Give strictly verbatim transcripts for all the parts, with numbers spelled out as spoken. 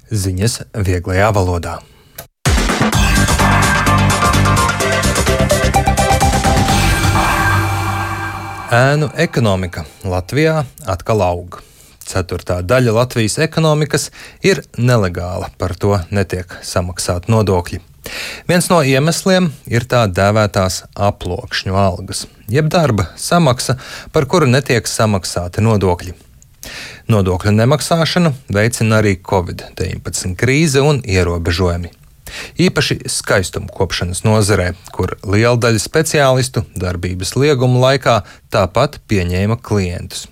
Ziņas vieglajā valodā. Ēnu ekonomika Latvijā atkal aug. Ceturtā daļa Latvijas ekonomikas ir nelegāla, par to netiek samaksāti nodokļi. Viens no iemesliem ir tā dēvētās aploksņu algas, jeb darba samaksa, par kuru netiek samaksāti nodokļi. Nodokļu nemaksāšanu veicina arī covid deviņpadsmit krīze un ierobežojumi. Īpaši skaistumkopšanas nozarē, kur liela daļa speciālistu darbības lieguma laikā tāpat pieņēma klientus.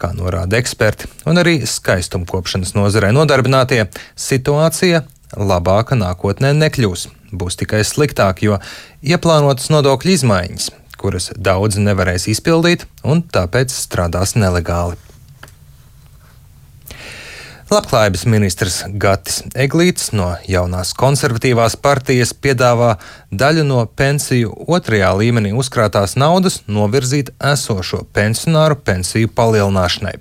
Kā norāda eksperti un arī skaistumkopšanas nozarē nodarbinātie, situācija labāka nākotnē nekļūs. Būs tikai sliktāk, jo ieplānotas nodokļu izmaiņas, kuras daudzi nevarēs izpildīt un tāpēc strādās nelegāli. Labklājības ministrs Gatis Eglītis no jaunās konservatīvās partijas piedāvā daļu no pensiju otrajā līmenī uzkrātās naudas novirzīt esošo pensionāru pensiju palielināšanai.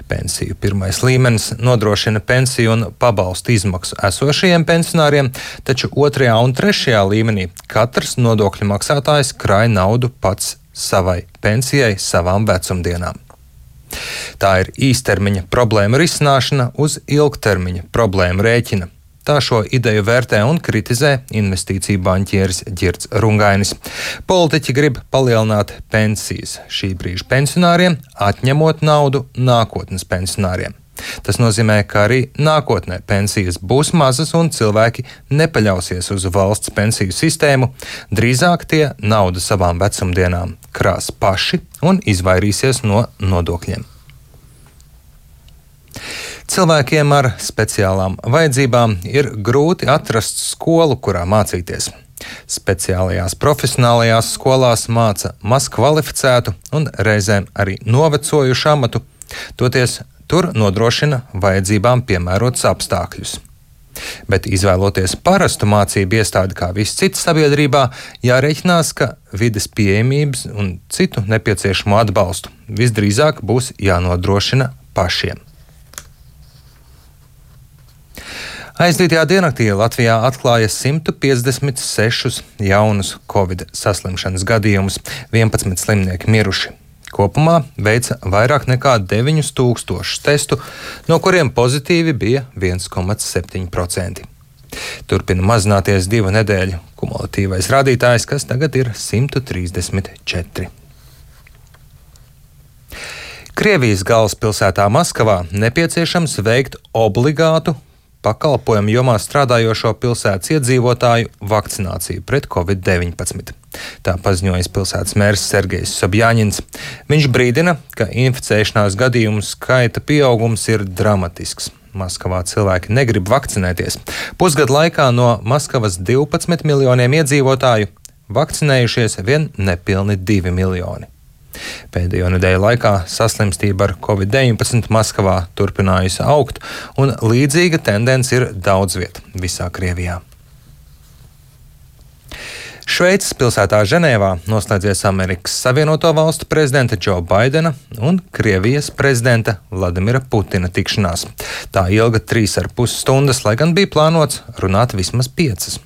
Pensiju pirmais līmenis nodrošina pensiju un pabalstu izmaksu esošajiem pensionāriem, taču otrajā un trešajā līmenī katrs nodokļu maksātājs krāj naudu pats savai pensijai, savām vecumdienām. Tā ir īstermiņa problēma risināšana uz ilgtermiņa problēmu rēķina. Tā šo ideju vērtē un kritizē investīciju banķieris Ģirds Rungainis. Politiķi grib palielināt pensijas šī brīža pensionāriem, atņemot naudu nākotnes pensionāriem. Tas nozīmē, ka arī nākotnē pensijas būs mazas un cilvēki nepaļausies uz valsts pensiju sistēmu, drīzāk tie naudu savām vecumdienām krās paši un izvairīsies no nodokļiem. Cilvēkiem ar speciālām vajadzībām ir grūti atrast skolu, kurā mācīties. Speciālajās profesionālajās skolās māca maz kvalificētu un reizēm arī novecojušu amatu, toties tur nodrošina vajadzībām piemērotus apstākļus. Bet izvēloties parastu mācību iestādi kā viss cits sabiedrībā, jārēķinās, ka vides pieejamības un citu nepieciešamo atbalstu visdrīzāk būs jānodrošina pašiem. Aizdītajā diennaktī Latvijā atklāja simt piecdesmit sešus jaunus covid saslimšanas gadījumus, vienpadsmit slimnieki miruši. Kopumā veica vairāk nekā deviņus tūkstošus testu, no kuriem pozitīvi bija viens komats septiņi procenti. Turpina mazināties divu nedēļu kumulatīvais rādītājs, kas tagad ir simt trīsdesmit četri. Krievijas galvaspilsētā Maskavā nepieciešams veikt obligātu pakalpojumu jomā strādājošo pilsētas iedzīvotāju vakcināciju pret covid deviņpadsmit. Tā paziņojas pilsētas mērs Sergejs Sobjaņins. Viņš brīdina, ka inficēšanās gadījumu skaita pieaugums ir dramatisks. Maskavā cilvēki negrib vakcinēties. Pusgadu laikā no Maskavas divpadsmit miljoniem iedzīvotāju vakcinējušies vien nepilni divi miljoni. Pēdējo nedēļu laikā saslimstība ar covid deviņpadsmit Maskavā turpinājusi augt, un līdzīga tendence ir daudz viet visā Krievijā. Šveices pilsētā Ženēvā noslēdzies Amerikas Savienoto Valstu prezidenta Džo Baidena un Krievijas prezidenta Vladimira Putina tikšanās. Tā ilga trīs ar pus stundas, lai gan bija plānots runāt vismaz piecas.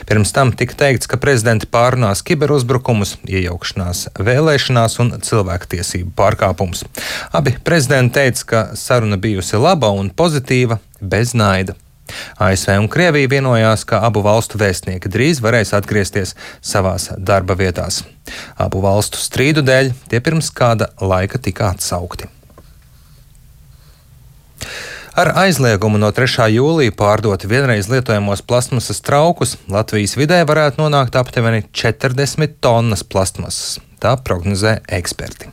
Pirms tam tika teikts, ka prezidenti pārunās kiberuzbrukumus, iejaukšanās vēlēšanās un cilvēktiesību pārkāpumus. Abi prezidenti teica, ka saruna bijusi laba un pozitīva, bez naida. A S V un Krievija vienojās, ka abu valstu vēstnieki drīz varēs atgriezties savās darba vietās. Abu valstu strīdu dēļ tie pirms kāda laika tika atsaukti. Ar aizliegumu no trešā jūlija pārdot vienreiz lietojamos plastmasas traukus Latvijas vidē varētu nonākt aptuveni četrdesmit tonnas plastmasas. Tā prognozē eksperti.